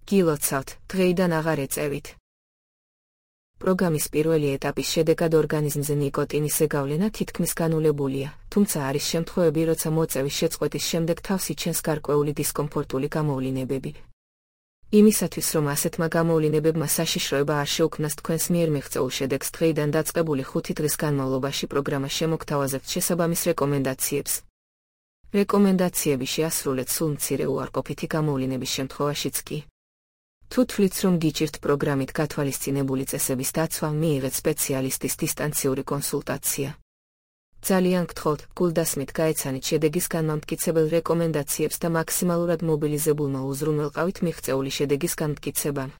გილოცავთ, დღეიდან აღარ ეწევით. პროგრამის პირველი ეტაპის შედეგად ორგანიზმზე ნიკოტინის ზეგავლენა თითქმის განულებულია, თუმცა არის შემთხვევები, როცა მოწევის შეწყვეტის შემდეგ თავს იჩენს გარკვეული დისკომფორტული გამოვლინებები. იმისათვის, რომ ასეთმა გამოვლინებებმა საშიშროება არ შეუქმნას თქვენს მიერ მიღწეულ შედეგს, დღეიდან დაწყებული 5 დღის განმავლობაში პროგრამა შემოგთავაზებთ შესაბამის რეკომენდაციებს. რეკომენდაციები შეასრულეთ სულ მცირე უარყოფითი გამოვლინების შემთხვევაშიც კი. თუ თვლით, რომ გიჭირთ პროგრამით გათვალისწინებული წესების დაცვა, მიიღეთ სპეციალისტის დისტანციური კონსულტაცია. ძალიან გთხოვთ, გულდასმით გაეცანით შედეგის განმამტკიცებელ რეკომენდაციებს და მაქსიმალურად მობილიზებულმა უზრუნველყავით მიღწეული შედეგის განმტკიცებამ.